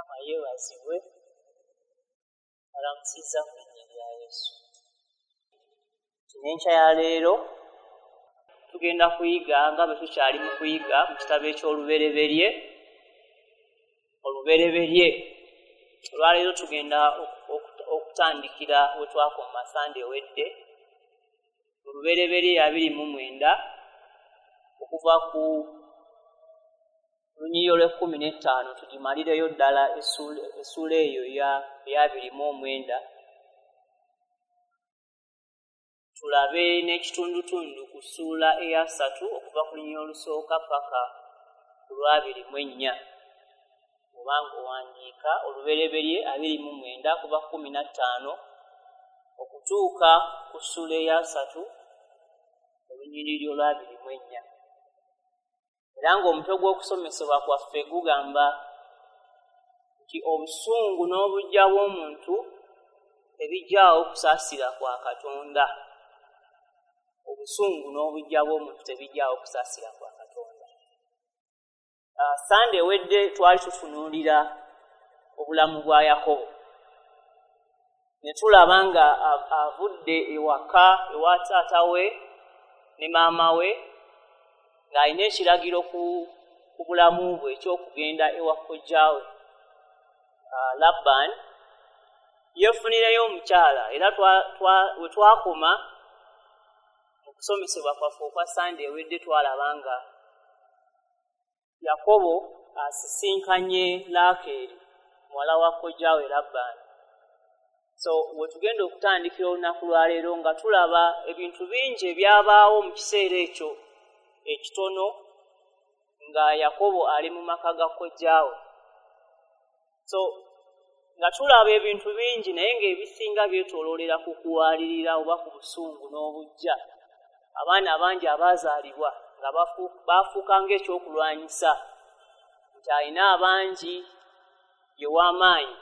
Mukama yeebazibwe, alamusizza mu linnya lya Yesu. N'enkya ya leero tugenda kuyiga nga bwe tukyali mu kuyiga mu kitabo eky'Olubereberye. Olubereberye olwaleero tugenda okutandikira we twakoma Sande ewedde, Olubereberye 29 okuva ku lunyiriri olw'ekkumi n'ettaano tugimalireyo ddala essuula eyo eya 29, tulabe n'ekitundutundu ku ssuula eya 3 okuva ku lunyiriri olusooka paka ku lwa 24. Obanga owandiika Olubereberye 29 kuva 15 okutuuka ku ssuula eya 3 olunyiriri olwa 24. Era ng'omutwe gw'okusomesebwa kwaffe gugamba nti obusungu n'obuggya bw'omuntu tebijjaawo kusaasira kwa Katonda. Obusungu n'obuggya bw'omuntu tebijjaawo kusaasira kwa Katonda. Sande ewedde twali tutunuulira obulamu bwa Yakobo, ne tulaba nga avudde ewaka ewa taata we ne maama we ng'alina ekiragiro ku bulamu bwe eky'okugenda ewa kojjaawe Labbaani, yeefunireyo omukyala. Era we twakoma mu kusomesebwa kwaffe okwa Sande ewedde twalaba nga Yakobo asisinkanye Laakeeri muwala wa kojjaawe Labbaani. So we tugenda okutandikira olunaku lwaleero nga tulaba ebintu bingi ebyabaawo mu kiseera ekyo ekitono nga Yakobo ali mu maka ga kojjaawe. So nga tulaba ebintu bingi naye ng'ebisinga byetooloolera ku kuwalirira oba ku busungu n'obuggya. Abaana abangi abaazaalibwa nga baafuuka ng'ekyokulwanyisa nti alina abangi ye w'amaanyi.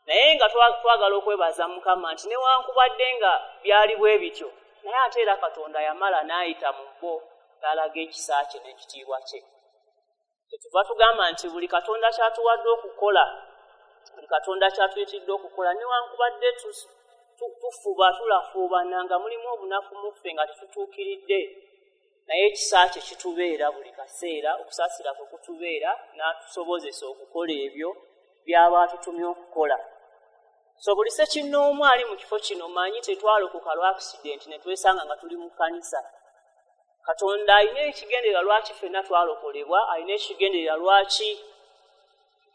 Naye nga twagala okwebaza Mukama nti newankubadde nga byali bwe bityo, naye ate era Katonda yamala n'ayita mu bo n'alaga ekisa kye n'ekitiibwa kye. Kyetuva tugamba nti buli Katonda ky'atuwadde okukola, buli Katonda ky'atuyitidde okukola, newankubadde tufuba tulafuubana nga mulimu obunafu mu ffe nga tetutuukiridde, naye ekisa kye kitubeera buli kaseera, okusaasira kwe kutubeera n'atusobozesa okukola ebyo by'aba atutumye okukola. So buli ssekinnoomu ali mu kifo kino manyi tetwalokoka lwa accident ne twesanga nga tuli mu kkanisa. Katonda alina ekigendererwa lwaki ffenna twalokolebwa, alina ekigendererwa lwaki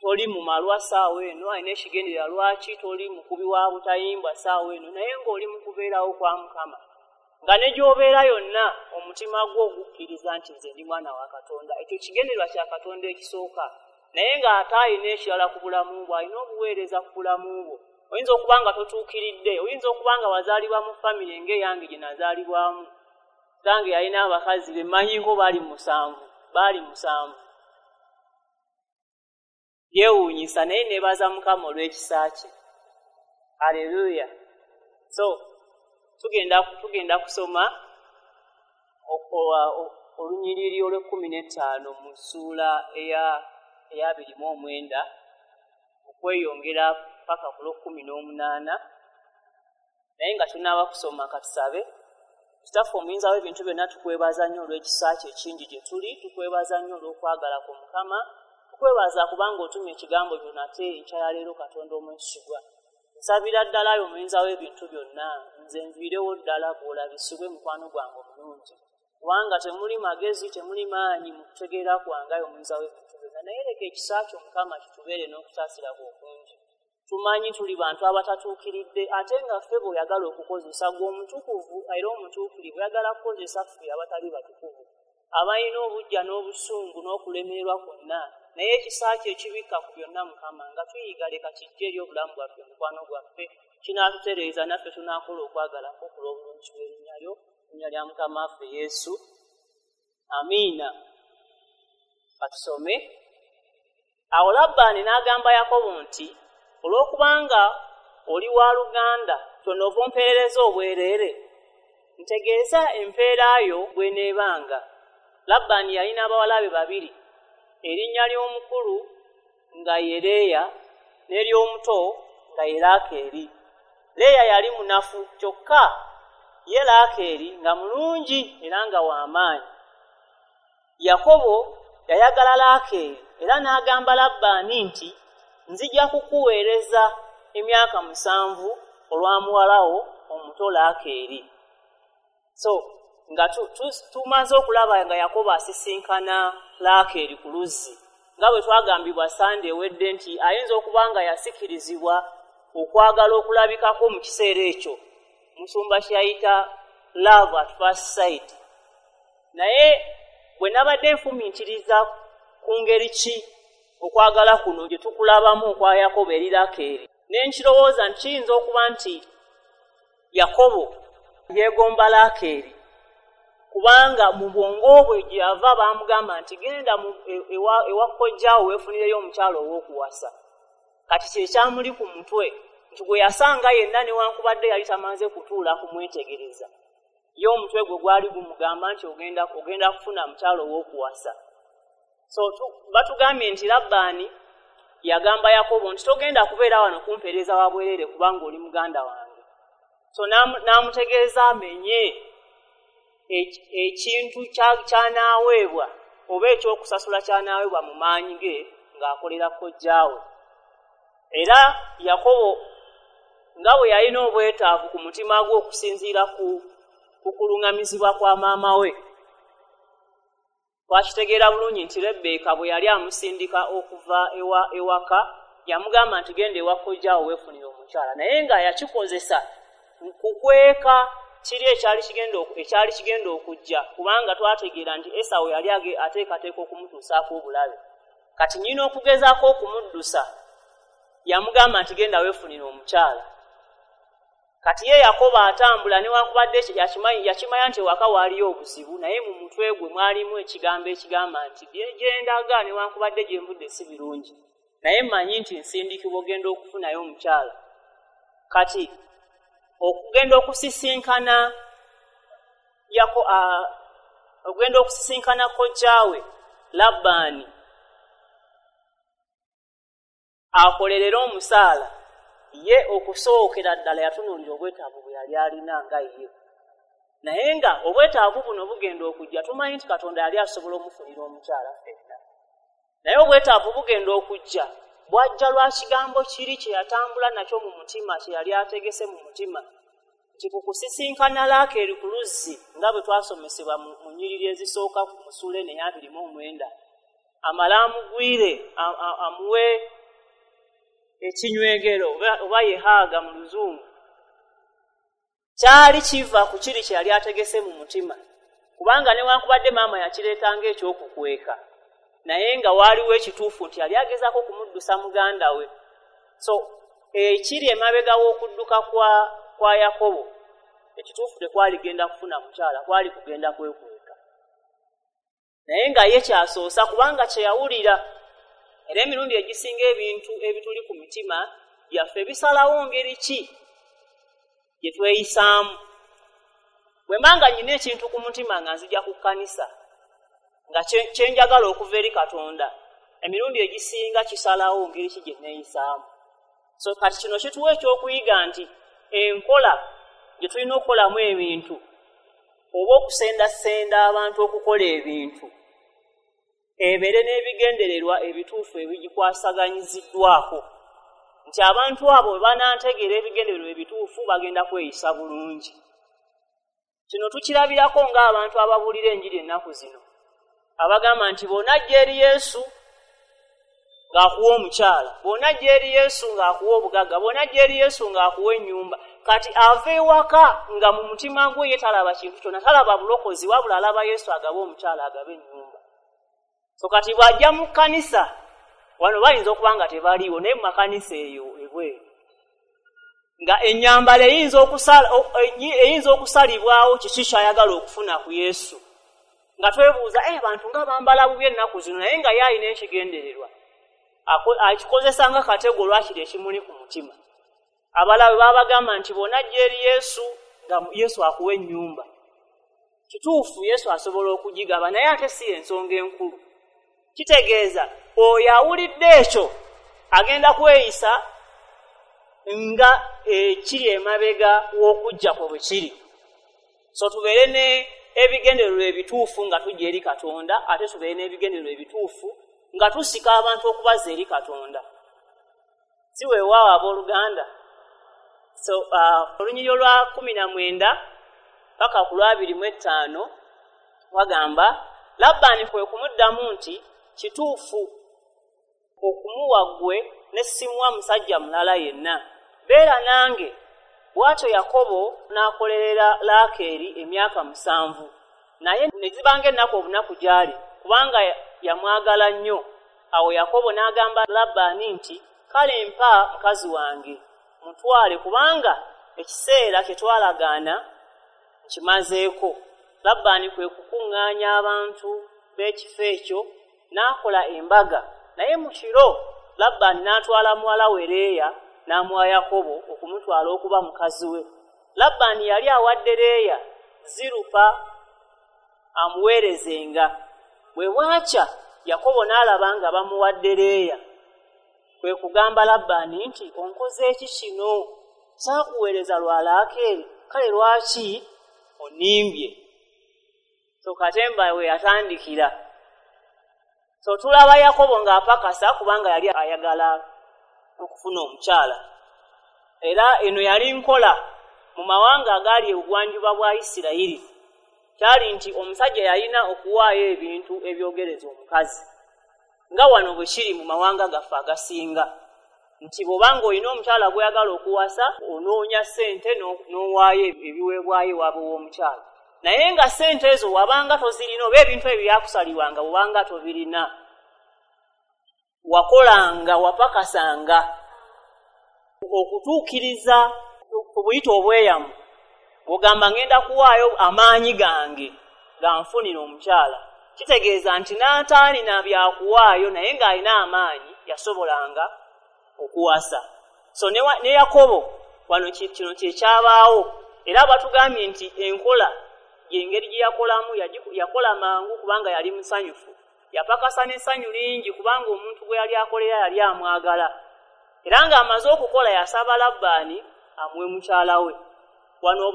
toli mu malwa ssaawa eno, alina ekigendererwa lwaki toli mukubi wa butayimbwa ssaawa eno, naye ng'oli mu kubeerawo kwa Mukama. Nga ne gy'obeera yonna omutima gwo ogukkiriza nti nze ndi mwana wa Katonda. Ekyo kigendererwa kya Katonda ekisooka. Naye ng'ate alina ekirala ku bulamu bwo, alina obuweereza ku bulamu bwo. Oyinza okuba nga totuukiridde, oyinza okuba nga wazaalibwa mu famire ng'eyange gye nazaalibwamu. Kitange yalina abakazi be mmanyiko baali musanvu. Yeewuunyisa, naye neebaza Mukama olw'ekisa kye. Haleluya. So tugenda kusoma olunyiriri olw'e15 mu ssuula eya 29 okweyongera paka ku lw'e18. Naye nga tunaaba kusoma katusabe. Kitaffe omuyinza w'ebintu byonna, tukwebaza nnyo olw'ekisa kye ekingi gye tuli, tukwebaza nnyo olw'okwagala kwo Mukama, tukwebaza kubanga otumye ekigambo kyo nate enkya ya leero. Katonda omwesigwa, nsabira ddala ayo omuyinza w'ebintu byonna, nze nviirewo ddala bw'olabisibwe mukwano gwange omulungi, kubanga temuli magezi, temuli maanyi mu kutegeera kwange ayo omuyinza w'ebintu byonna. Naye leka ekisa kyo Mukama kitubeere n'okusaasira kwo okungi. Tumanyi tuli bantu abatatuukiridde, ate nga ffe bw'oyagala okukozesa gwe omutukuvu era omutuukirivu, oyagala kukozesa ffe abatali batukuvu, abalina obuggya n'obusungu n'okulemererwa kwonna. Naye ekisa kye ekibikka ku byonna Mukama, nga tuyiga leka kijje eri obulamu bwaffe, mukwano gwaffe, kinaatutereeza naffe tunaakola okwagala kwo ku lw'obulungi bw'erinnya lyo, linnya lya Mukama waffe Yesu. Amiina. Katusome. Awo Labbaani n'agamba Yakobo nti, olw'okubanga oli wa luganda, tonoova ompeerereza obwereere, ntegeeza empeera yo bw'eneebanga. Labbaani yalina abawala be babiri, erinnya ly'omukulu nga ye Leeya n'ery'omuto nga ye Laakeeri. Leeya yali munafu, kyokka ye Laakeeri nga mulungi era nga w'amaanyi. Yakobo yayagala Laakeeri era n'agamba Labbaani nti, nzija kukuweereza emyaka 7 olwa muwala wo omuto Laakeeri. So nga tumaze okulaba nga Yakobo asisinkana Laakeeri ku luzzi, nga bwe twagambibwa Sande ewedde nti ayinza okuba nga yasikirizibwa okwagala okulabikako mu kiseera ekyo, musumba kyeyayita love at first sight. Naye bwe nabadde nfumiitiriza ku ngeri ki okwagala kuno gye tukulabamu okwa Yakobo eri Laakeeri, ne nkirowooza nti kiyinza okuba nti Yakobo yeegomba Laakeeri, kubanga mu bwongo bwe gye yava baamugamba nti genda ewa kojjaawo weefunireyo omukyala ow'okuwasa. Kati kye kyamuli ku mutwe nti gwe yasanga yenna newankubadde yali tamaze kutuula kumwetegereza, ye omutwe gwe gwali gumugamba nti ogenda kufuna mukyala ow'okuwasa. So batugambye nti Labbaani yagamba Yakobo nti togenda kubeera wano kumpeereza wa bwereere kubanga oli muganda wange. So n'amutegeeza amenye ekintu ky'anaaweebwa oba ekyokusasula ky'anaaweebwa mu maanyi ge ng'akolera kojjaawe. Era Yakobo nga bwe yalina obwetaavu ku mutima gwe okusinziira ku kuluŋŋamizibwa kwa maama we, twakitegeera bulungi nti Rebbeeka bwe yali amusindika okuva ewaka yamugamba nti genda ewa kojjaawo weefunire omukyala, naye nga yakikozesa kukweka kiri ekyali kigenda okujja, kubanga twategeera nti Esawu yali ateekateeka okumutuusaako obulabe. Kati nnyina okugezaako okumuddusa yamugamba nti genda weefunire omukyala. Kati ye Yakobo atambula newankubadde yakimanya nti ewaka waaliyo obuzibu, naye mu mutwe gwe mwalimu ekigambo ekigamba nti gye ndaga newankubadde gye nvudde si birungi, naye mmanyi nti nsindikibwa ogenda okufunayo omukyala. Kati okugenda okusisinkana okugenda okusisinkana kojjaawe Labbaani akolerere omusaala, ye okusookera ddala yatunuulira obwetaavu bwe yali alina nga ye. Naye nga obwetaavu buno bugenda okujja, tumanyi nti Katonda yali asobola omufunira omukyala ffenna, naye obwetaavu bugenda okujja bwajja lwa kigambo kiri kye yatambula nakyo mu mutima, kye yali ategese mu mutima nti ku kusisinkana Laakeeri ku luzzi nga bwe twasomesebwa mu nnyiriri ezisooka mu ssuula eno eya 29, amale amugwire amuwe ekinywegero oba yehaaga mu Luzungu. Kyali kiva ku kiri kye yali ategese mu mutima, kubanga newankubadde maama yakireetanga ekyokukweka, naye nga waaliwo ekituufu nti yali agezaako okumuddusa muganda we. So ekiri emabega w'okudduka kwa Yakobo, ekituufu tekwali genda kufuna mukyala, kwali kugenda kwekweka, naye nga ye kyasoosa kubanga kye yawulira. Era emirundi egisinga ebintu ebituli ku mitima byaffe bisalawo ngeri ki gye tweyisaamu. Bwe mba nga nnyina ekintu ku mutima nga nzija ku kkanisa nga kye njagala okuva eri Katonda, emirundi egisinga kisalawo ngeri ki gye neeyisaamu. So kati kino kituwa ekyokuyiga nti enkola gye tulina okukolamu ebintu oba okusendasenda abantu okukola ebintu ebeere n'ebigendererwa ebituufu ebigikwasaganyiziddwako, nti abantu abo bwe banantegeera ebigendererwa ebituufu bagenda kweyisa bulungi. Kino tukirabirako ng'abantu ababuulira enjiri ennaku zino abagamba nti bw'onajja eri Yesu ng'akuwa omukyala, bw'onajja eri Yesu ng'akuwa obugagga, bw'onajja eri Yesu ng'akuwa ennyumba. Kati ava ewaka nga mu mutima gwe ye talaba kintu kyonna, talaba bulokozi, wabula alaba Yesu agaba omukyala, agaba ennyumba. So kati bw'ajja mu kkanisa wano bayinza okuba nga tebaliiwo, naye mu makanisa eyo ebweru nga ennyambala eyinza okusalibwawo kiki ky'ayagala okufuna ku Yesu, nga twebuuza abantu nga bambala bubi ennaku zino, naye nga ye alina ekigendererwa akikozesa nga katego lwakiri ekimuli ku mutima. Abalala babagamba nti bw'onajja eri Yesu nga Yesu akuwa ennyumba. Kituufu Yesu asobola okugigaba, naye ate si ensonga enkulu. Kitegeeza oyo awulidde ekyo Agenda kweyisa nga ekiri emabega w'okujja kwe bwe kiri. So tubeere ne ebigendererwa ebituufu nga tujja eri Katonda, ate tubeere n'ebigendererwa ebituufu nga tusika abantu okubaza eri Katonda. Si weewaawo abooluganda? So olunyiriri olwa 19 paka ku lwa 25 wagamba, Labbaani kwe kumuddamu nti, kituufu okumuwa ggwe ne simuwa musajja mulala yenna, beera nange. Bw'atyo Yakobo n'akolerera Laakeeri emyaka 7, naye ne zibanga ennaku obunaku gy'ali, kubanga yamwagala nnyo. Awo Yakobo n'agamba Labbaani nti, kale mpa mukazi wange mutwale, kubanga ekiseera kye twalagaana nkimazeeko. Labbaani kwe kukuŋŋaanya abantu b'ekifo ekyo n'akola embaga. Naye mu kiro Labbaani n'atwala muwala we Leeya n'amuwa Yakobo okumutwala okuba mukazi we. Labbaani yali awadde Leeya Zirupa amuweerezenga. Bwe bwakya Yakobo n'alaba nga bamuwadde Leeya. Kwe kugamba Labbaani nti, onkoze ki kino? Saakuweereza lwa Laakeeri, kale lwaki onnimbye? So katemba we yatandikira. So tulaba Yakobo ng'apakasa kubanga yali ayagala okufuna omukyala. Era eno yali nkola mu mawanga agaali ebugwanjuba bwa Isirayiri. Kyali nti omusajja yalina okuwaayo ebintu ebyogereza omukazi, nga wano bwe kiri mu mawanga gaffe agasinga, nti bw'obanga olina omukyala gw'oyagala okuwasa, onoonya ssente n'owaayo ebiweebwayo ewaabwe w'omukyala. Naye nga ssente ezo wabanga tozirina, oba ebintu ebyo byakusalibwanga bw'obanga tobirina, wakolanga, wapakasanga okutuukiriza obuyita obweyamu. Bw'ogamba ngenda kuwaayo amaanyi gange ganfunira omukyala, kitegeeza nti n'ataalina byakuwaayo naye ng'alina amaanyi yasobolanga okuwasa. So ne Yakobo wano kino kye kyabaawo. Era batugambye nti enkola y'engeri gye yakolamu, yakola mangu kubanga yali musanyufu. Yapakasa n'essanyu lingi kubanga omuntu gwe yali akolera yali amwagala. Era ng'amaze okukola yasaba Labbaani amuwe mukyala we. Wano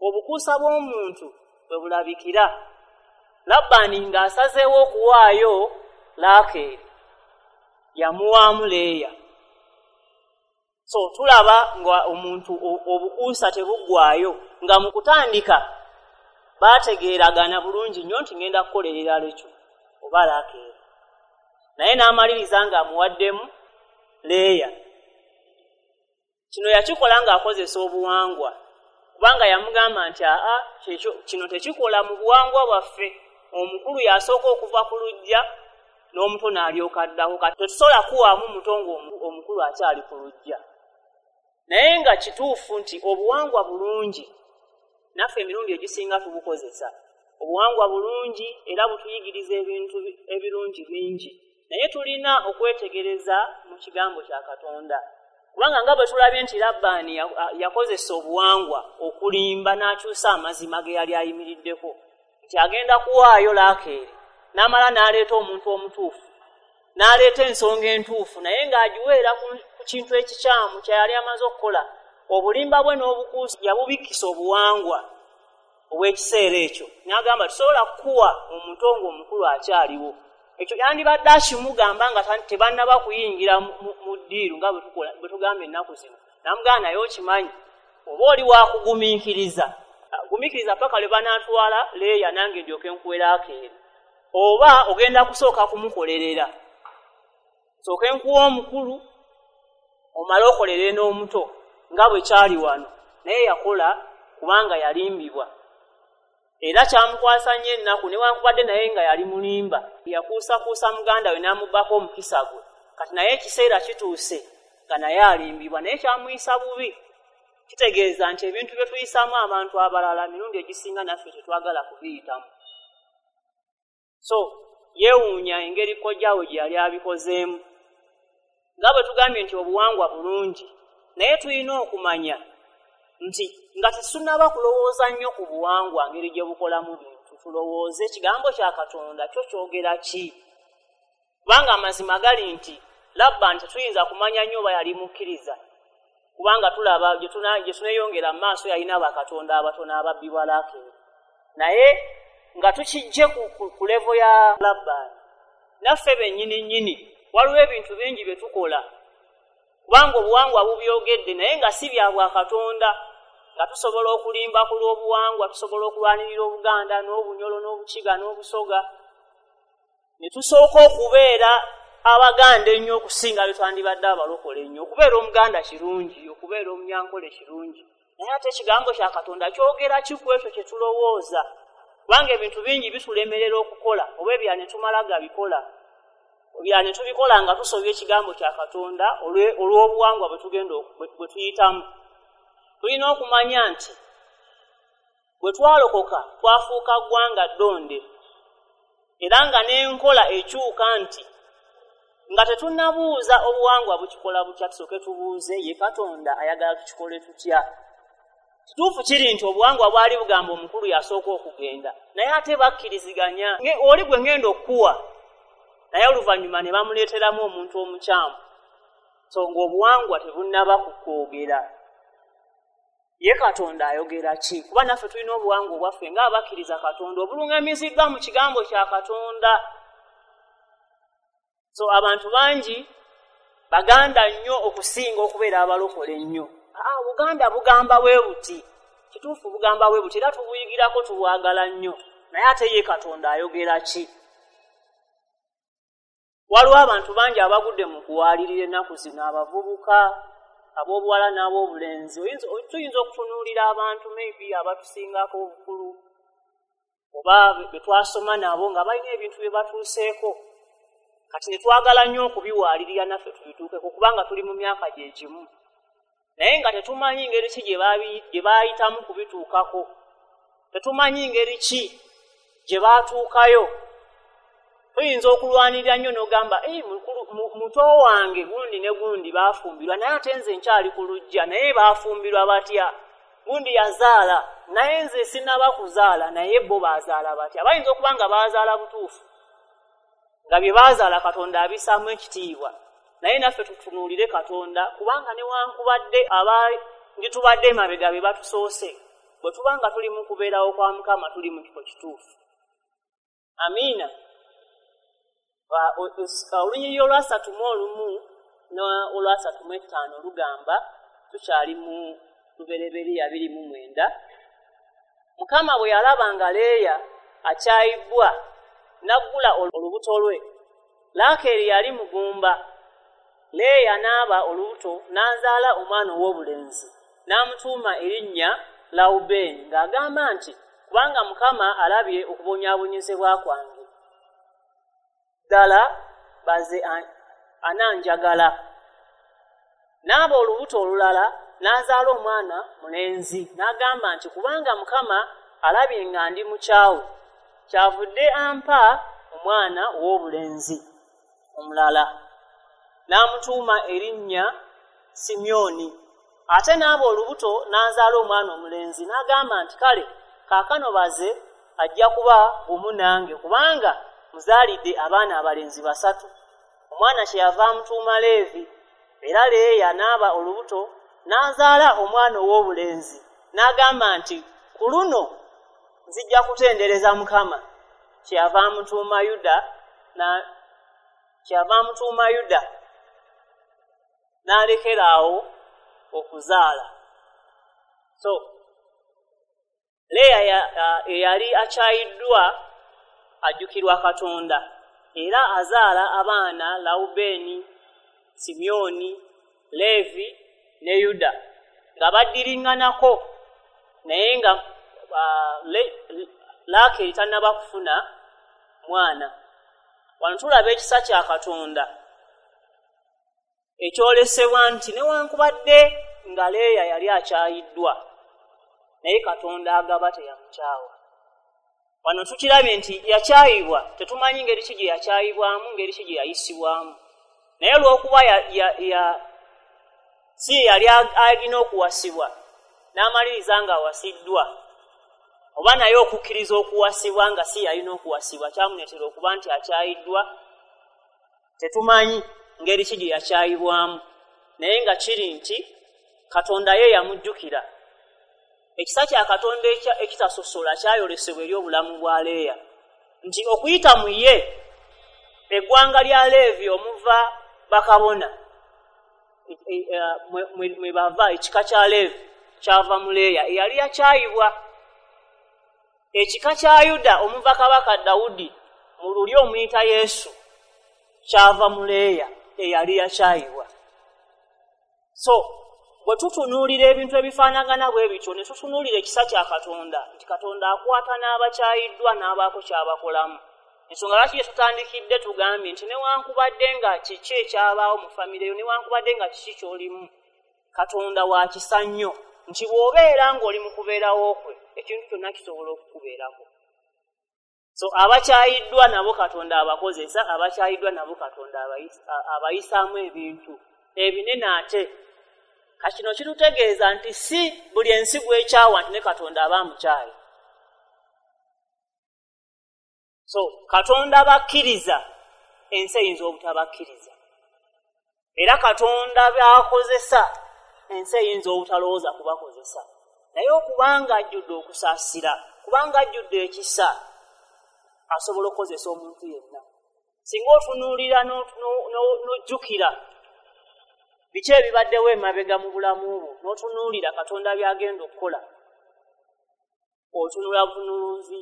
obukuusa bw'omuntu bwe bulabikira. Labbaani ng'asazeewo okuwaayo Laakeeri, yamuwaamu Leeya. So tulaba nga omuntu obukuusa tebuggwaayo, nga mu kutandika baategeeragana bulungi nnyo nti ngenda kukolerera Lekyo oba Laakeeri, naye n'amaliriza ng'amuwaddemu Leeya. Kino yakikola ng'akozesa obuwangwa, kubanga yamugamba nti aa, kino tekikola mu buwangwa bwaffe, omukulu yasooka okuva ku luggya n'omuto n'alyoka addako. Kati tetusobola kuwaamu muto ng'omukulu akyali ku luggya. Naye nga kituufu nti obuwangwa bulungi, naffe emirundi egisinga tubukozesa. Obuwangwa bulungi era butuyigiriza ebintu ebirungi bingi, naye tulina okwetegereza mu kigambo kya Katonda. Kubanga nga bwe tulabye nti Labbaani yakozesa obuwangwa okulimba n'akyusa amazima ge yali ayimiriddeko, nti agenda kuwaayo Laakeeri, n'amala n'aleeta omuntu omutuufu, n'aleeta ensonga entuufu, naye ng'agiweera ku kintu ekikyamu kye yali amaze okukola. Obulimba bwe n'obukuusa yabubikkisa obuwangwa obw'ekiseera ekyo, n'agamba tusobola kukuwa omuto ng'omukulu akyaliwo. Ekyo yandibadde akimugamba nga tebannaba kuyingira mu ddiiru nga bwe tugamba ennaku zino. N'amugamba naye okimanyi, oba oli wakugumiikiriza, gumiikiriza paka lwe banaatwala Leeya nange ndyoke nkuwe Laakeeri, oba ogenda kusooka kumukolerera, sooke nkuwa omukulu omale okolere n'omuto, nga bwe kyali wano. Naye yakola kubanga yalimbibwa, era kyamukwasa nnyo ennaku, newankubadde naye nga yali mulimba. Yakuusakuusa muganda we n'amubbako omukisa gwe. Kati naye ekiseera kituuse nga naye alimbibwa, naye kyamuyisa bubi. Kitegeeza nti ebintu bye tuyisaamu abantu abalala mirundi egisinga naffe tetwagala kubiyitamu. So yeewuunya engeri kojjaawe gye yali abikozeemu. Nga bwe tugambye nti obuwangwa bulungi, naye tulina okumanya nti nga tetunnaba kulowooza nnyo ku buwangwa ngeri gye bukolamu bintu, tulowooze ekigambo kya Katonda kyo kyogera ki. Kubanga amazima gali nti Labbaani tetuyinza kumanya nnyo oba yali mukkiriza, kubanga tulaba gye tuneeyongera mu maaso yalina bakatonda abatono ababbi bwa Laakeeri. Naye nga tukijje ku levo ya Labbaani, naffe bennyini nnyini waliwo ebintu bingi bye tukola kubanga obuwangwa bubyogedde naye nga si bya bwakatonda, nga tusobola okulimba ku lw'obuwangwa, tusobola okulwanirira Obuganda n'Obunyolo n'Obukiga n'Obusoga, ne tusooka okubeera Abaganda ennyo okusinga bye twandibadde abalokole ennyo. Okubeera Omuganda kirungi, okubeera Omunyankole kirungi, naye ate ekigambo kya Katonda kyogera ki ku ekyo kye tulowooza? Kubanga ebintu bingi bitulemerera okukola oba ebya ne tumala gabikola, ebya ne tubikola nga tusobya ekigambo kya Katonda olw'obuwangwa bwe tugenda bwe tuyitamu. Tulina okumanya nti bwe twalokoka twafuuka ggwanga ddonde, era nga n'enkola ekyuka nti nga tetunnabuuza obuwangwa bukikola butya, tusooke tubuuze ye Katonda ayagala tukikole tutya. Kituufu kiri nti obuwangwa bwali bugamba omukulu yasooka okugenda, naye ate bakkiriziganya oli gwe ngenda okukuwa, naye oluvannyuma ne bamuleeteramu omuntu omukyamu. So ng'obuwangwa tebunnaba kukwogera, ye Katonda ayogera ki? Kuba naffe tulina obuwangwa obwaffe ng'abakkiriza Katonda obuluŋŋamiziddwa mu kigambo kya Katonda. So abantu bangi Baganda nnyo okusinga okubeera abalokole ennyo. Buganda bugamba bwe buti, kituufu bugamba bwe buti, era tubuyigirako tubwagala nnyo, naye ate ye Katonda ayogera ki? Waliwo abantu bangi abagudde mu kuwaalirira ennaku zino, abavubuka ab'obuwala n'ab'obulenzi. Tuyinza okutunuulira abantu maybe abatusingako obukulu oba be twasoma nabo nga balina ebintu bye batuuseeko, kati ne twagala nnyo okubiwaalirira naffe tubituukeko kubanga tuli mu myaka gye gimu, naye nga tetumanyi ngeri ki gye baayitamu kubituukako, tetumanyi ngeri ki gye baatuukayo. Tuyinza okulwanirira nnyo n'ogamba muto wange gundi ne gundi baafumbirwa, naye ate nze nkyali ku luggya, naye baafumbirwa batya? Gundi yazaala naye nze sinnaba kuzaala, naye bo baazaala batya? Bayinza okuba nga baazaala butuufu, nga bye baazaala Katonda abissaamu ekitiibwa, naye naffe tutunuulire Katonda, kubanga newankubadde abanditubadde emabega be batusoose, bwe tuba nga tuli mu kubeerawo kwa Mukama tuli mu kifo kituufu. Amiina. Olunyiriri olwasatu mu olumu n'olwasatu mu etaano lugamba, tukyali mu Lubereberye 29, Mukama bwe yalaba nga Leeya akyayibbwa n'aggula olubuto lwe. Laakeeri yali mugumba. Leeya n'aba olubuto n'azaala omwana ow'obulenzi, n'amutuuma erinnya Lawubeeni, ng'agamba nti kubanga Mukama alabye okubonyaabonyezebwa kwange, ddala baze ananjagala. N'aba olubuto olulala n'azaala omwana mulenzi, n'agamba nti kubanga Mukama alabye nga ndi mukyawe, kyavudde ampa omwana ow'obulenzi omulala, n'amutuuma erinnya Simyoni. Ate n'aba olubuto n'azaala omwana omulenzi, n'agamba nti kale kaakano baze ajja kuba bumu nange, kubanga muzaalidde abaana abalenzi 3. Omwana kyeyava amutuuma Leevi. Era Leeya n'aba olubuto n'azaala omwana ow'obulenzi, n'agamba nti ku luno nzijja kutendereza Mukama. Kyeyava amutuuma Yuda, n'alekera awo okuzaala. So Leeya eyali akyayiddwa ajjukirwa Katonda, era azaala abaana Lawubeeni, Simyoni, Leevi ne Yuda, nga baddiriŋŋanako, naye nga Laakeeri tannaba kufuna mwana. Wano tulaba ekisa kya Katonda ekyolesebwa nti newankubadde nga Leeya yali akyayiddwa, naye Katonda agaba teyamukyawa. Wano tukirabye nti yakyayibwa, tetumanyi ngeri ki gye yakyayibwamu, ngeri ki gye yayisibwamu, naye olw'okuba si ye yali alina okuwasibwa, n'amaliriza ng'awasiddwa, oba naye okukkiriza okuwasibwa nga si yalina okuwasibwa kyamuleetera okuba nti akyayiddwa, tetumanyi. ngeri ki gye yakyayibwamu, naye nga kiri nti Katonda ye yamujjukira. Ekisa kya Katonda ekitasosola kyayolesebwa eri obulamu bwa Leeya, nti okuyita mu ye eggwanga lya Leevi omuva bakabona, mwe bava ekika kya Leevi kyava mu Leeya eyali yakyayibwa. Ekika kya Yuda omuva kabaka Dawudi mu lulyo omuyita Yesu kyava mu Leeya eyali yakyayibwa. So bwe tutunuulira ebintu ebifaanagana bwe bityo, ne tutunuulira ekisa kya Katonda, nti Katonda akwata n'abakyayiddwa n'abaako ky'abakolamu. Ensonga lwaki gye tutandikidde tugambye nti newankubadde nga kiki ekyabaawo mu famire yo, newankubadde nga kiki ky'olimu, Katonda wa kisa nnyo, nti bw'obeera ng'oli mu kubeerawo kwe, ekintu kyonna kisobola okukubeerako. So abakyayiddwa nabo Katonda abakozesa, abakyayiddwa nabo Katonda abayisaamu ebintu ebinene. Ate kino kitutegeeza nti si buli ensi gw'ekyawa nti ne Katonda aba amukyaye. So Katonda bakkiriza, ensi eyinza obutabakkiriza, era Katonda by'akozesa, ensi eyinza obutalowooza kubakozesa. Naye okubanga ajjudde okusaasira, kubanga ajjudde ekisa, asobola okukozesa omuntu yenna. Singa otunuulira n'ojjukira biki ebibaddewo emabega mu bulamu bwo, n'otunuulira Katonda by'agenda okukola, otunula butunuuzi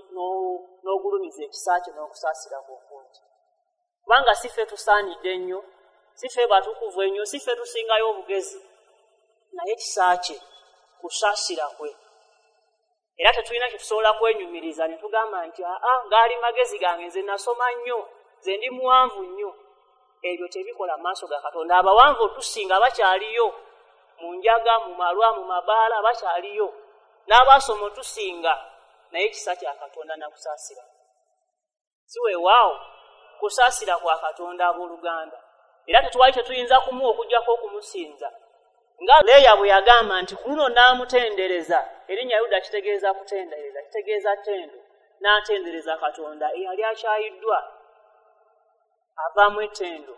n'ogulumiza ekisa kye n'okusaasira kwe okungi. Kubanga si ffe tusaanidde ennyo, si ffe batukuvu ennyo, si ffe tusingayo obugezi, naye ekisa kye, kusaasira kwe. Era tetulina kye tusobola kwenyumiriza ne tugamba nti aa, gaali magezi gange, nze nasoma nnyo, nze ndi muwanvu nnyo. Ebyo tebikola mu maaso ga Katonda. Abawanvu otusinga bakyaliyo mu njaga, mu malwa, mu mabaala, bakyaliyo. N'abaasoma otusinga, naye ekisa kya Katonda nakusaasira. Si weewaawo kusaasira kwa Katonda, abooluganda. Era tetwali tetuyinza kumuwa okuggyako okumusinza. Nga Leeya bwe yagamba nti ku luno n'amutendereza, erinnya Yuda kitegeeza kutendereza, kitegeeza ttendo, n'atendereza Katonda eyali akyayiddwa, avaamu ettendo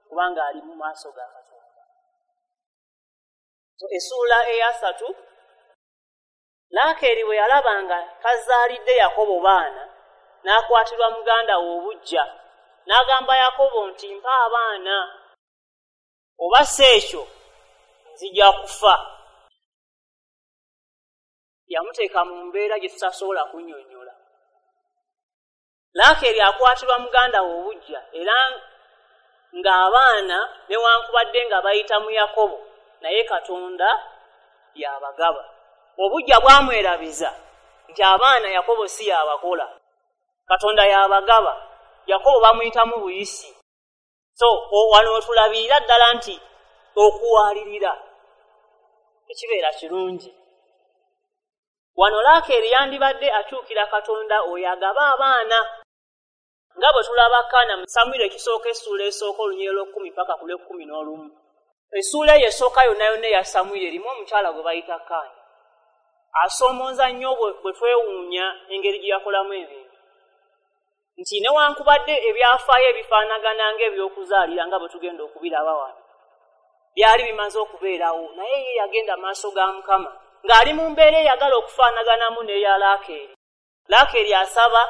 kubanga ali mu maaso ga Katonda. So essuula eyasatu, Laakeeri bwe yalaba nga tazaalidde Yakobo baana, n'akwatirwa muganda we obuggya, n'agamba Yakobo nti mpa abaana, oba si ekyo nzija kufa. Yamuteeka mu mbeera gye tutasobola kunnyonnyola. Laakeeri akwatirwa muganda we obuggya, era ng'abaana newankubadde nga bayita mu Yakobo, naye Katonda y'abagaba. Obuggya bwamwerabiza nti abaana Yakobo si y'abakola, Katonda y'abagaba. Yakobo bamuyitamu buyisi. So wano wetulabirira ddala nti okuwalirira tekibeera kirungi. Wano Laakeeri yandibadde akyukira Katonda oyo agaba abaana, nga bwe tulaba Kaana mu Samwiri ekisooka essuula esooka olunyiriri lw'ekkumi paka ku lw'ekkumi n'olumu. Essuula eyo esooka yonna yonna eya Samwiri erimu omukyala gwe bayita Kaana. Asoomooza nnyo bwe twewuunya engeri gye yakolamu ebintu. Nti newankubadde ebyafaayo ebifaanagana ng'ebyokuzaalira nga bwe tugenda okubiraba wano, byali bimaze okubeerawo, naye ye yagenda maaso ga Mukama ng'ali mu mbeera eyagala okufaanaganamu n'eya Laakeeri. Laakeeri asaba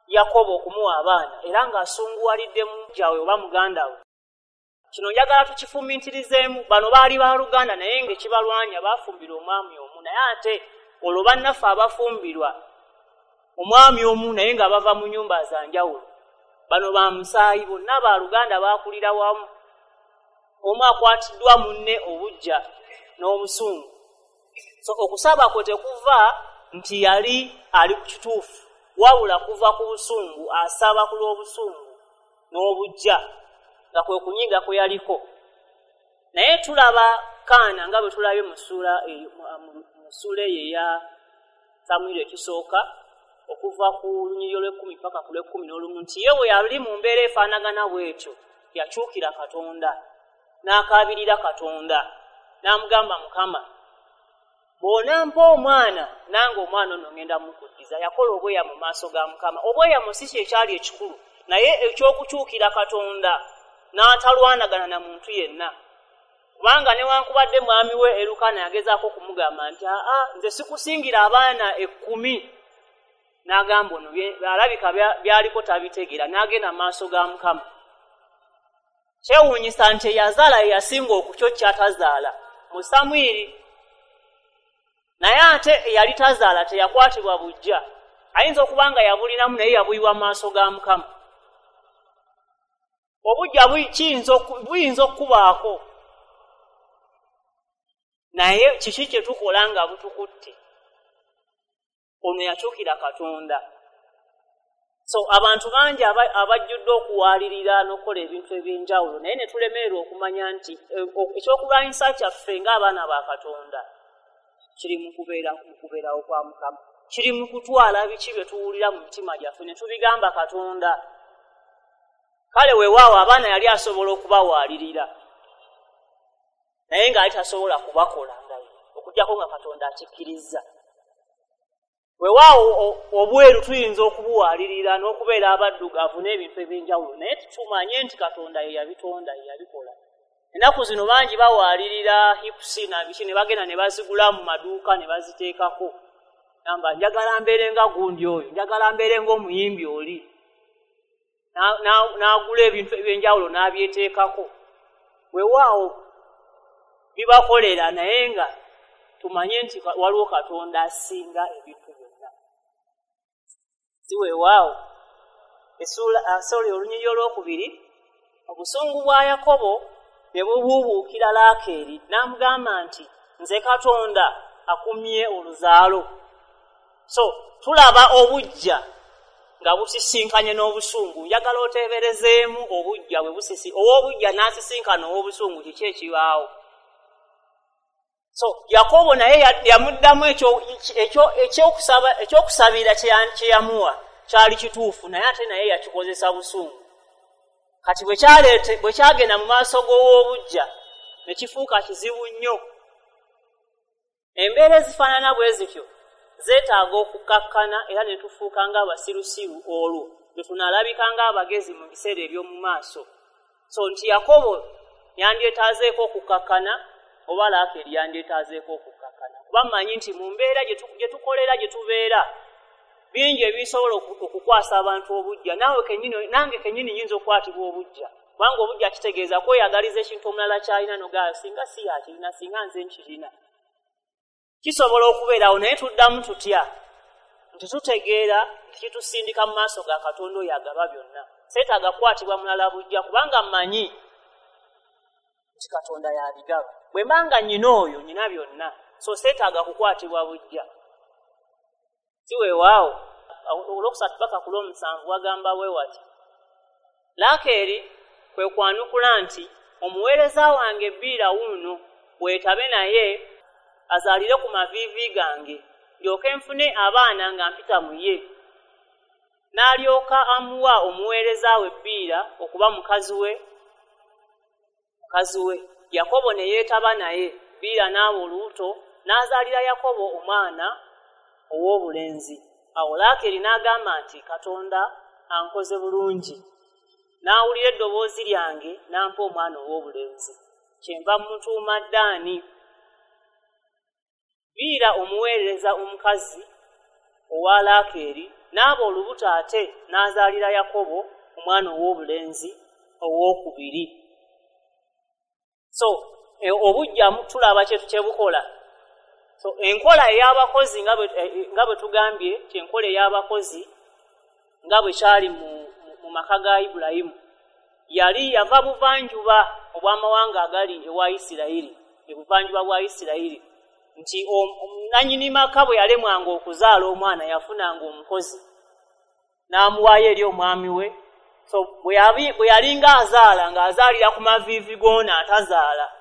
Yakobo okumuwa abaana, era ng'asunguwalidde mujja we oba muganda we. Kino njagala tukifumiitirizeemu. Bano baali baluganda, naye ng'ekibalwanya baafumbirwa omwami omu, naye ate olwo bannaffe abafumbirwa omwami omu naye nga bava mu nnyumba za njawulo. Bano ba musaayi, bonna baluganda, baakulira wamu. Omu akwatiddwa munne obuggya n'obusungu. So okusaba kwe tekuva nti yali ali ku kituufu, wabula kuva ku busungu, asaba ku lw'obusungu n'obuggya, nga kwe kunyiga kwe yaliko. Naye tulaba Kaana nga bwe tulabye mu ssuula eyo eya Samwiri ekisooka, okuva ku lunyiriri olw'ekkumi paka ku lw'ekkumi n'olumu, nti ye bwe yali mu mbeera efaanagana bw'etyo, yakyukira Katonda, n'akaabirira Katonda, n'amugamba, Mukama, bw'onampa omwana, nange omwana ono ngenda mukuddiza. Yakola obweyamo mu maaso ga Mukama. Obweyamo si kye kyali ekikulu, naye ekyokukyukira Katonda N'atalwanagana na muntu yenna, kubanga newankubadde mwami we Erukana yagezaako okumugamba nti aa, nze sikusingira abaana 10, n'agamba ono alabika byaliko tabitegeera, n'agenda mu maaso ga Mukama. Kyewuunyisa nti eyazaala ye yasinga okutyo kyatazaala mu Samwiri, naye ate eyali tazaala teyakwatibwa bujja. Ayinza okuba nga yabulinamu naye yabuyiwa mu maaso ga Mukama. Obujja buyinza okubaako, naye kiki kye tukola nga butukutte? Ono yakyukira Katonda. So abantu bangi abajjudde okuwalirira n'okukola ebintu ebyenjawulo, naye ne tulemererwa okumanya nti ekyokulwanyisa kyaffe ng'abaana ba Katonda kiri mu kubeerawo kwa Mukama, kiri mu kutwala biki bye tuwulira mu mitima gyaffe ne tubigamba Katonda. Kale weewaawo abaana yali asobola okubawaalirira, naye ng'ali tasobola kubakola nga ye, okuggyako nga Katonda akikkirizza. Weewaawo obweru tuyinza okubuwaalirira n'okubeera abaddugavu n'ebintu ebyenjawulo, naye tumanye nti Katonda ye yabitonda, ye yabikola. Ennaku zino bangi bawaalirira hipusi na biki, ne bagenda ne bazigula mu maduuka ne baziteekako. Namba njagala mbeere nga gundi oyo, njagala mbeere ng'omuyimbi oli. N'agula ebintu ebyenjawulo n'abyeteekako. Weewaawo bibakolera, naye nga tumanye nti waliwo Katonda asinga ebintu byonna. Si weewaawo olunyiriri olwokubiri, obusungu bwa Yakobo ne bubuubuukira Laakeeri, n'amugamba nti nze Katonda akumye oluzaalo. So tulaba obujja nga busisinkanye n'obusungu. Njagala oteeberezeemu obujja bwe busisi, ow'obujja n'asisinkana ow'obusungu, kiki ekibaawo? So Yakobo naye yamuddamu ekyokusabira kye yamuwa kyali kituufu, naye ate naye yakikozesa busungu. Kati bwe kyagenda mu maaso g'ow'obujja ne kifuuka kizibu nnyo. Embeera ezifaanana bwe zityo zeetaaga okukakkana era ne tufuuka ng'abasirusiru, olwo lwe tunaalabika ng'abagezi mu biseera eby'omu maaso. So nti Yakobo yandyetaazeeko okukakkana oba Laakeeri yandyetaazeeko okukakkana, kuba mmanyi nti mu mbeera gye tukolera, gye tubeera, bingi ebisobola okukwasa abantu obujja. Nange kennyini nnyinza okukwatibwa obujja, kubanga obujja kitegeeza kweyagaliza ekintu omulala ky'alina n'ogamba singa si yakirina, singa nze nkirina. Kisobola okubeerawo, naye tuddamu tutya nti tutegeera nti kitusindika mu maaso ga Katonda oyo agaba byonna. Seetaaga kukwatibwa mulala bujja, kubanga mmanyi nti Katonda y'abigaba. Bwe mba nga nnyina oyo, nnyina byonna, so seetaaga kukwatibwa bujja. Si weewaawo olwokusatu paka ku lw'omusanvu wagamba bwe wati, Laakeeri kwe kwanukula nti omuweereza wange Biira wuuno, weetabe naye azaalire ku maviivi gange, ndyoke nfune abaana nga mpita mu ye. N'alyoka amuwa omuweereza we Biira okuba mukazi we. Yakobo ne yeetaba naye, Biira n'aba olubuto, n'azaalira Yakobo omwana ow'obulenzi. Awo Laakeeri n'agamba nti Katonda ankoze bulungi, n'awulira eddoboozi lyange n'ampa omwana ow'obulenzi, kyenva mmutuuma Ddaani. Biira omuweereza omukazi owa Laakeeri n'aba olubuto ate n'azaalira Yakobo omwana ow'obulenzi owookubiri. So obujja tulaba kye bukola. So enkola ey'abakozi nga bwe tugambye, enkola ey'abakozi nga bwe kyali mu maka ga Ibulayimu, yali yava buvanjuba obw'amawanga agali ewa Isirayiri, ebuvanjuba bwa Isirayiri, nti nannyini maka bwe yalemwanga okuzaala omwana yafunanga omukozi n'amuwaayo eri omwami we. So bwe yalinga azaala ng'azaalira ku maviivi g'ono atazaala,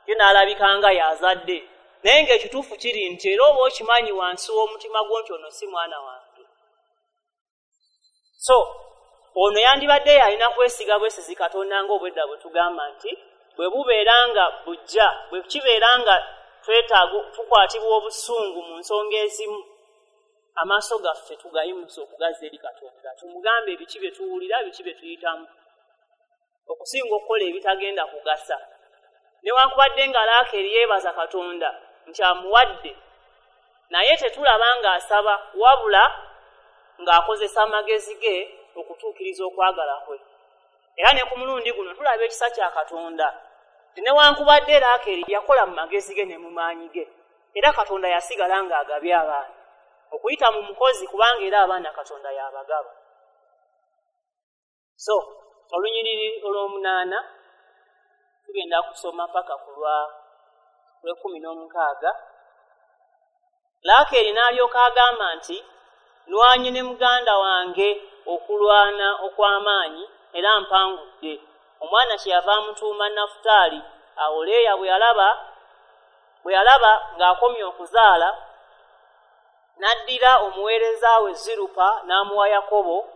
ye n'alabika nga y'azadde, naye ng'ekituufu kiri nti era oba okimanyi wansi w'omutima gwo nti ono si mwana wange. So ono yandibadde alina kwesiga bwesizi Katonda ng'obwedda bwe tugamba nti bwe bubeera nga bujja, bwe kibeera nga twetaaga tukwatibwa obusungu mu nsonga ezimu, amaaso gaffe tugayimusa okugaza eri Katonda, tumugambe ebiki bye tuwulira, biki bye tuyitamu. okusinga okukola ebitagenda kugasa. Newankubadde nga Laakeeri yeebaza Katonda nti amuwadde, naye tetulaba ng'asaba, wabula ng'akozesa amagezi ge okutuukiriza okwagala kwe. Era ne ku mulundi guno tulaba ekisa kya Katonda nti newankubadde Laakeeri yakola mu magezi ge ne mu maanyi ge, era Katonda yasigala ng'agabye abaana okuyita mu mukozi, kubanga era abaana Katonda y'abagaba. So olunyiriri olw'omunaana tugenda kusoma paka ku lwa 16. Laakeeri n'alyoka agamba nti, "Nwanye ne muganda wange okulwana okw'amaanyi, era mpangudde." Omwana kyeyava amutuuma Nafutaali. Awo Leeya bwe yalaba ng'akomye okuzaala, n'addira omuweereza we Zirupa n'amuwa Yakobo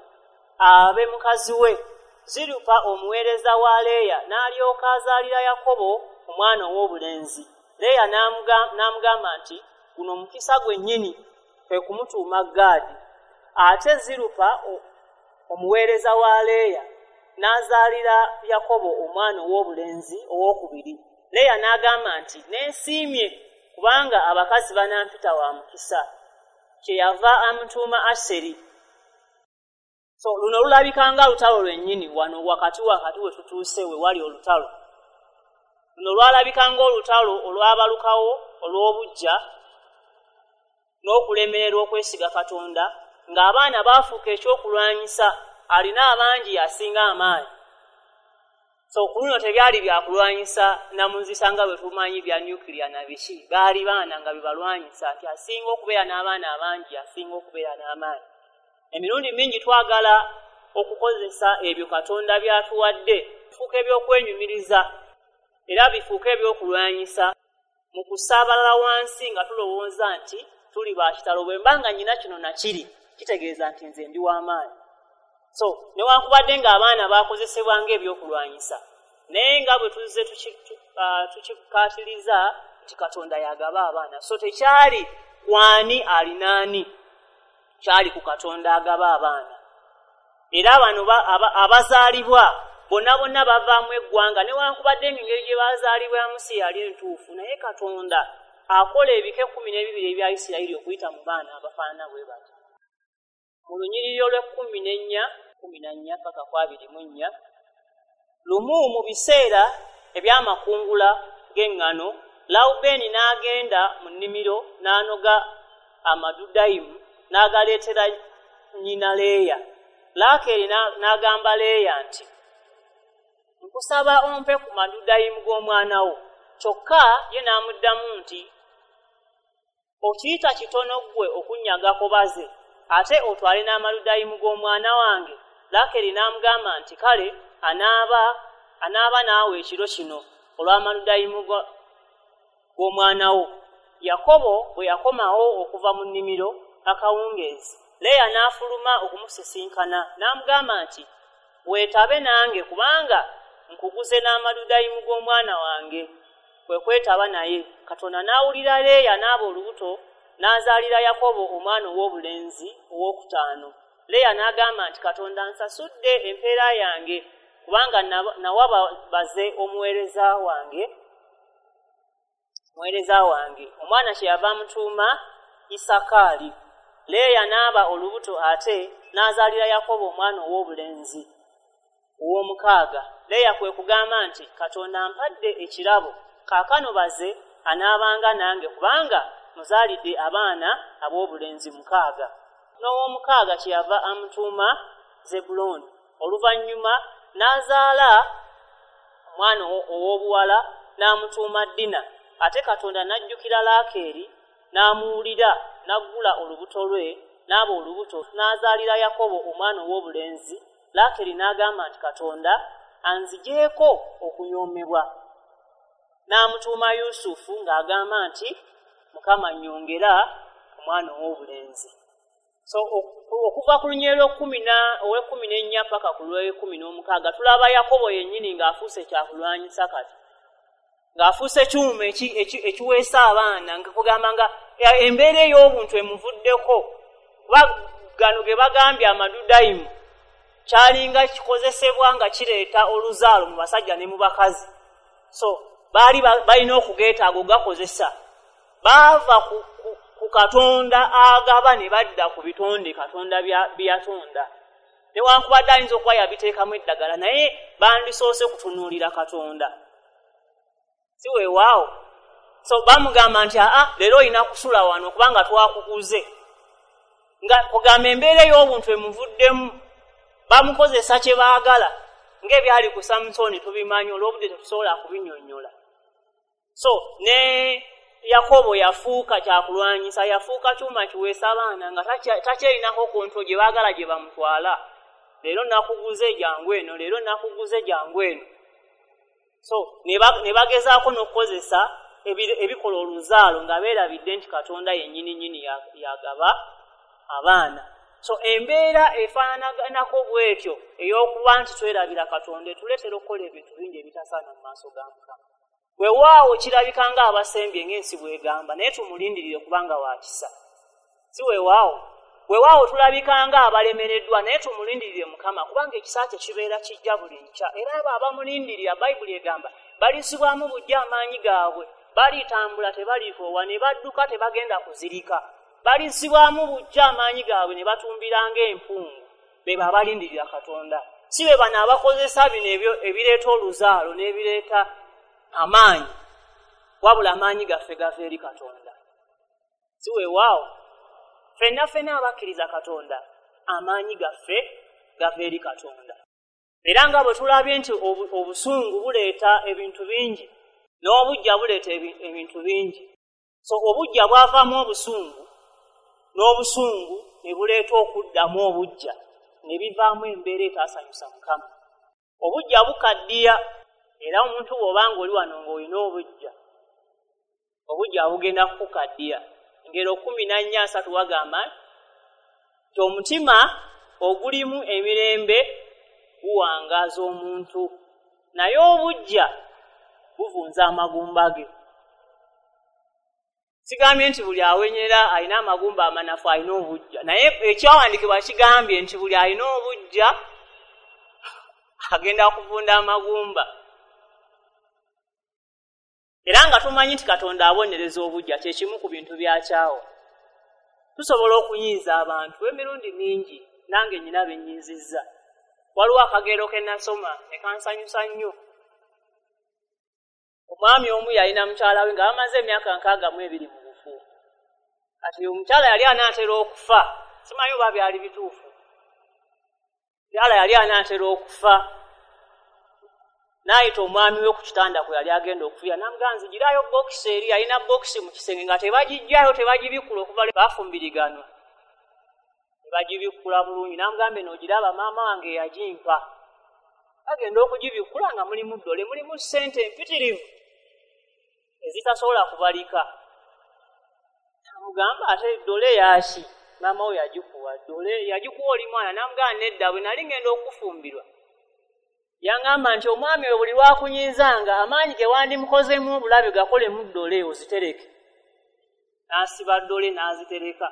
abe mukazi we. Zirupa omuweereza wa Leeya n'alyoka azaalira Yakobo omwana ow'obulenzi. Leeya n'amugamba nti, "Guno mukisa gwennyini," kwe kumutuuma Gaadi. Ate Zirupa omuweereza wa Leeya n'azaalira Yakobo omwana ow'obulenzi owookubiri. Leeya n'agamba nti, "Neesiimye, kubanga abakazi banampita wa mukisa." Kyeyava amutuuma Aseri. So luno lulabika nga lutalo lwennyini. Wano wakati we tutuuse we wali olutalo luno lwalabika ng'olutalo olwabalukawo olw'obuggya n'okulemererwa okwesiga Katonda, ng'abaana baafuuka ekyokulwanyisa, alina abangi asinga amaanyi. So ku luno tebyali byakulwanyisa namuzisa nga bwe tumanyi bya nuclear na biki, baali baana nga bibalwanyisa, nti asinga okubeera n'abaana abangi asinga okubeera n'amaanyi. Emirundi mingi twagala okukozesa ebyo Katonda by'atuwadde bifuuka ebyokwenyumiriza, era bifuuka ebyokulwanyisa mu kusaabalala wansi, nga tulowooza nti tuli ba kitalo. Bwe mba nga nnyina kino nakiri, kitegeeza nti nze ndi w'amaanyi. So newankubadde ng'abaana bakozesebwa ng'ebyokulwanyisa, naye nga bwe tuzze tukikaatiriza nti Katonda yagaba abaana, so tekyali kwani alinaani, kyali ku Katonda agaba abaana. Era bano abazaalibwa bonna bonna bavaamu eggwanga, newankubadde ng'engeri gye bazaalibwamu si yali entuufu, naye Katonda akola ebika 12 ebya Isirayiri okuyita mu baana abafaanana bwe bati. Mu lunyiriri olw'e14, 14 paka ku 24. Lumu mu biseera ebyamakungula g'eŋŋano, Lawubeeni n'agenda mu nnimiro n'anoga amadudayimu n'agaleetera nnyina Leeya. Laakeeri n'agamba Leeya nti, "Nkusaba ompe ku madudayimu g'omwana wo." Kyokka ye n'amuddamu nti, "Okiyita kitono ggwe okunnyagako baze, ate otwale n'amadudayimu g'omwana wange?" Laakeeri n'amugamba nti, "Kale anaaba naawe ekiro kino olw'amadudayimu g'omwana wo." Yakobo bwe yakomawo okuva mu nnimiro akawungeezi, Leeya n'afuluma okumusisinkana n'amugamba nti, "Weetabe nange, kubanga nkuguze n'amadudayimu g'omwana wange." Kwe kwetaba naye. Katonda n'awulira Leeya, n'aba olubuto, n'azaalira Yakobo omwana ow'obulenzi owookutaano. Leeya n'agamba nti, "Katonda nsasudde empeera yange, kubanga nawa baze omuweereza wange." Omwana kyeyava amutuuma Isakaali. Leeya n'aba olubuto ate, n'azaalira Yakobo omwana ow'obulenzi ow'omukaaga. Leeya kwe kugamba nti, "Katonda ampadde ekirabo. Kaakano baze anaabanga nange, kubanga muzaalidde abaana ab'obulenzi mukaaga." N'ow'omukaaga kyeyava amutuuma Zebbulooni. Oluvannyuma n'azaala omwana ow'obuwala n'amutuuma Dina. Ate Katonda n'ajjukira Laakeeri n'amuwulira, n'aggula olubuto lwe, n'aba olubuto, n'azaalira Yakobo omwana ow'obulenzi. Laakeeri n'agamba nti, "Katonda anzigyeko okunyoomebwa." N'amutuuma Yusufu, ng'agamba nti, "Mukama nnyongera omwana ow'obulenzi." So okuva ku lunyiriri olw'e14 paka ku lw'e16, tulaba Yakobo yennyini ng'afuuse kyakulwanyisa, kati ng'afuuse kyuma ekiweesa abaana, nga kugamba nga embeera ey'obuntu emuvuddeko, kuba gano ge bagambye amadudayimu. Kyalinga kikozesebwa nga kireeta oluzaalo mu basajja ne mu bakazi. So baali balina okugeetaaga ogakozesa. Baava ku Katonda agaba ne badda ku bitonde Katonda bye yatonda. Newankubadde ayinza okuba yabiteekamu eddagala, naye bandisoose kutunuulira Katonda. Si weewaawo? So bamugamba nti aa, leero olina kusula wano kubanga twakuguze. Nga kugamba embeera ey'obuntu emuvuddemu, bamukozesa kye baagala, ng'ebyali ku Samusoni tubimanyi, olw'obudde tetusobola kubinnyonnyola. So ne Yakobo yafuuka kyakulwanyisa, yafuuka kyuma kiweesa abaana nga takyerinako kontro gye baagala gye bamutwala. Leero nakuguze jangu eno, leero nakuguze jangu eno. So ne bagezaako n'okukozesa ebikola oluzaalo nga beerabidde nti Katonda yennyini nnyini yagaba abaana. So embeera efaananako bw'etyo ey'okuba nti twerabira Katonda etuleetera okukola ebintu bingi ebitasaana mu maaso ga Mukama. Weewaawo kirabika ng'abasembye ng'ensi bw'egamba, naye tumulindirire kubanga wa kisa. Si weewaawo? Weewaawo tulabika ng'abalemereddwa, naye tumulindirire Mukama kubanga ekisa kye kibeera kijja buli nkya. Era abo abamulindirira, Bayibuli egamba, balizibwamu buggya amaanyi gaabwe, balitambula tebalikoowa, ne badduka tebagenda kuzirika. Balizibwamu buggya amaanyi gaabwe ne batumbira ng'empungu. Be babalindirira Katonda. Si be bano abakozesa bino ebireeta oluzaalo n'ebireeta amaanyi, wabula amaanyi gaffe gava eri Katonda. Si weewaawo? Ffenna ffenna abakkiriza Katonda, amaanyi gaffe gava eri Katonda. Era nga bwe tulabye nti obusungu buleeta ebintu bingi, n'obuggya buleeta ebintu bingi. So obuggya bwavaamu obusungu, n'obusungu ne buleeta okuddamu obuggya, ne bivaamu embeera etaasanyusa Mukama. Obuggya bukaddiya, era omuntu bw'obanga oli wano ng'olina obuggya, obuggya bugenda kukukaddiya. Engero 14:3 wagamba nti omutima ogulimu emirembe guwangaaza omuntu, naye obuggya buvunza amagumba ge. Sigambye nti buli awenyera alina amagumba amanafu alina obuggya, naye ekyawandiikibwa kigambye nti buli alina obuggya agenda kuvunda amagumba. Era nga tumanyi nti Katonda abonereza obuggya, kye kimu ku bintu byakyawo. Tusobola okunyiiza abantu emirundi mingi, nange nnyina bennyiizizza. Waliwo akagero ke nasoma ne kansanyusa nnyo. Omwami omu yalina mukyala we nga bamaze emyaka 62 mu bufumbo. Kati omukyala yali anaatera okufa, simanyi oba byali bituufu. Mukyala yali anaatera okufa, n'ayita omwami we ku kitanda kwe yali agenda okufiira, n'amugamba nzigirayo bokisi eri. Yalina bokisi mu kisenge nga tebagiggyayo, tebagibikkula okuva lwe baafumbiriganwa. Tebagibikkula bulungi, n'amugamba eno ogiraba maama wange yagimpa. Bagenda okugibikkula nga mulimu ddole, mulimu ssente empitirivu ezitasobola kubalika. N'amugamba ate ddole yaki? Maama we yagikuwa ddole, yagikuwa oli mwana. N'amugamba nedda, bwe nali ngenda okufumbirwa yangamba nti omwami oyo buli lwakunyiizanga amaanyi ge wandimukozeemu obulabe gakolemu ddole ozitereke. N'asiba ddole n'azitereka.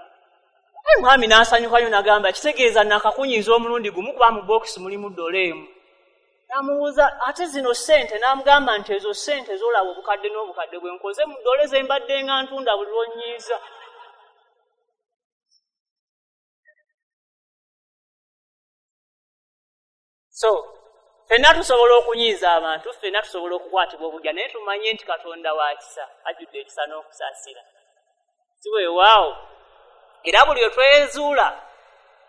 Omwami n'asanyuka nnyo n'agamba kitegeeza nakakunyiiza omulundi gumu kuba mu bokisi mulimu ddole emu. N'amubuuza ate zino ssente, n'amugamba nti ezo ssente z'olaba obukadde n'obukadde bwe nkoze mu ddole ze mbadde nga ntunda buli lw'onnyiiza. So ffenna tusobola okunyiiza abantu, ffenna tusobola okukwatibwa obuggya, naye tumanye nti Katonda wa kisa, ajjudde ekisa n'okusaasira. Si weewaawo? Era buli lwe twezuula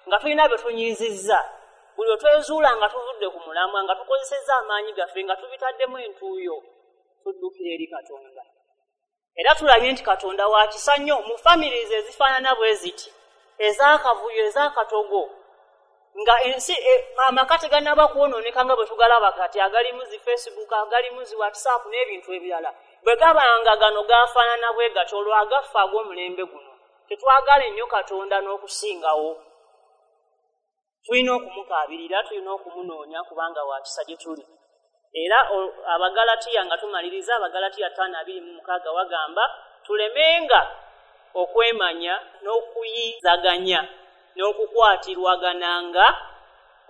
nga tulina bye tunyiizizza, buli lwe twezuula nga tuvudde ku mulamwa, nga tukozesezza amaanyi gaffe, nga tubitaddemu entuuyo, tuddukira eri Katonda. Era tulabye nti Katonda wa kisa nnyo mu families ezifaanana bwe ziti, ez'akavuyo, ez'akatogo, nga ensi amaka tegannaba kwonooneka nga bwe tugalaba kati, agalimu zi Facebook, agalimu zi WhatsApp n'ebintu ebirala. Bwe gabanga gano gafaanana bwe gatyo, olwo agaffe ag'omulembe guno tetwagala ennyo Katonda n'okusingawo. Tulina okumukaabirira, tulina okumunoonya kubanga wa kisa gye tuli. Era Abagalatiya nga tumaliriza, Abagalatiya 5:26 wagamba tulemenga okwemanya n'okuyizaganya n'okukwatirwagananga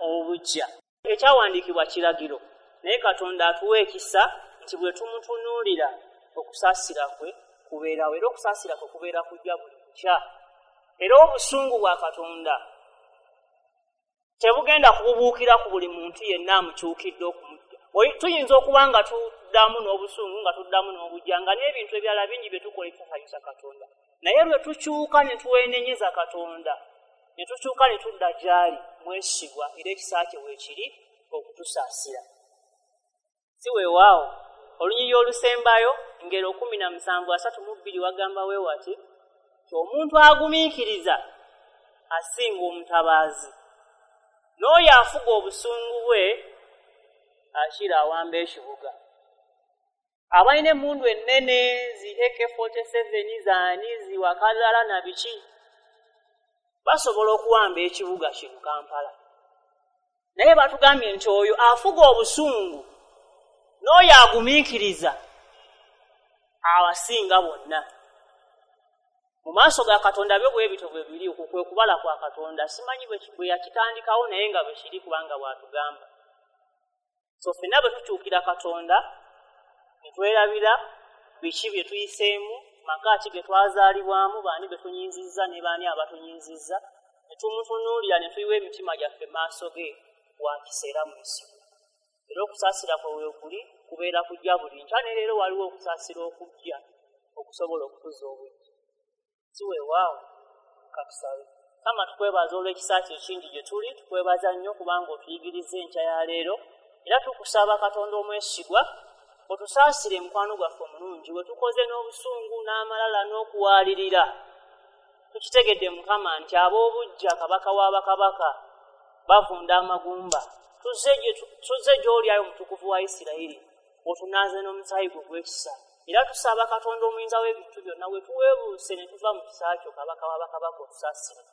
obuggya. Ekyawandiikibwa kiragiro, naye Katonda atuwa ekisa nti bwe tumutunuulira okusaasira kwe kubeerawo, era okusaasira kwe kubeera kujja buli kukya. Era obusungu bwa Katonda tebugenda kububuukira ku buli muntu yenna amukyukidde okumujja. Tuyinza okuba nga tuddamu n'obusungu, nga tuddamu n'obujja, nga n'ebintu ebirala bingi bye tukola ebitasanyusa Katonda. Naye lwe tukyuka ne tuwenenyeza Katonda, ne tukyuka ne tudda gy'ali, mwesigwa era ekisa kye weekiri okutusaasira. Si weewaawo, olunyiriri olusembayo ngero 17:32 wagamba weewati nti omuntu agumiikiriza asinga omutabaazi, n'oyo afuga obusungu bwe akira awamba ekibuga. Abalina emmundu ennene zi AK-47 zaani ziwakalala na biki basobola okuwamba ekibuga kino Kampala. Naye batugambye nti oyo afuga obusungu n'oyo agumiikiriza abasinga bonna. Mu maaso ga Katonda byo bwe bityo bwe biri, okwo kwe kubala kwa Katonda. Simanyi bwe yakitandikawo naye nga bwe kiri, kubanga bw'atugamba. So ffenna bwe tukyukira Katonda ne twerabira biki bye tuyiseemu, maka ki ge twazaalibwamu, baani be tunyinzizza ne baani abatunyinzizza, ne tumutunuulira ne tuyiwa emitima gyaffe maaso ge, wa kisa era mwesigwa. Era okusaasira kwe weekuli kubeera kujja buli nkya, ne leero waliwo okusaasira okujja okusobola okutuza obujja. Si weewaawo, katusabe. Mukama, tukwebaza olw'ekisa kyo ekingi gye tuli, tukwebaza nnyo kubanga otuyigiriza enkya ya leero, era tukusaba Katonda omwesigwa otusaasire mukwano gwaffe omulungi we tukoze n'obusungu n'amalala n'okuwaalirira. Tukitegedde Mukama nti ab'obuggya kabaka w'abakabaka bavunda amagumba. Tuzze gy'oli ayi omutukuvu wa Isirayiri, otunaaze n'omusaayi gwo ogw'ekisa. Era tusaba Katonda omuyinza w'ebintu byonna we tuweebuuse ne tuva mu kisa kyo kabaka w'abakabaka otusaasire.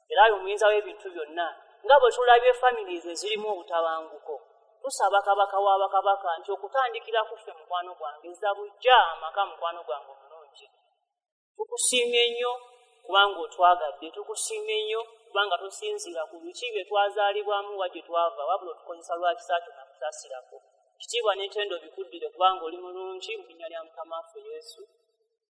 Era ayi omuyinza w'ebintu byonna, nga bwe tulabye families ezirimu obutabanguko, tusaba kabaka w'abakabaka nti okutandikira ku ffe mukwano gwange ezza bujja amaka mukwano gwange omulungi. Tukusiimye nnyo kubanga otwagadde, tukusiimye nnyo kubanga tosinziira ku biki bye twazaalibwamu wa gye twava, wabula otukozesa lwa kisa kyo nakusaasirako. Kitiibwa n'ettendo bikuddire kubanga oli mulungi, mu linnya lya Mukama waffe Yesu.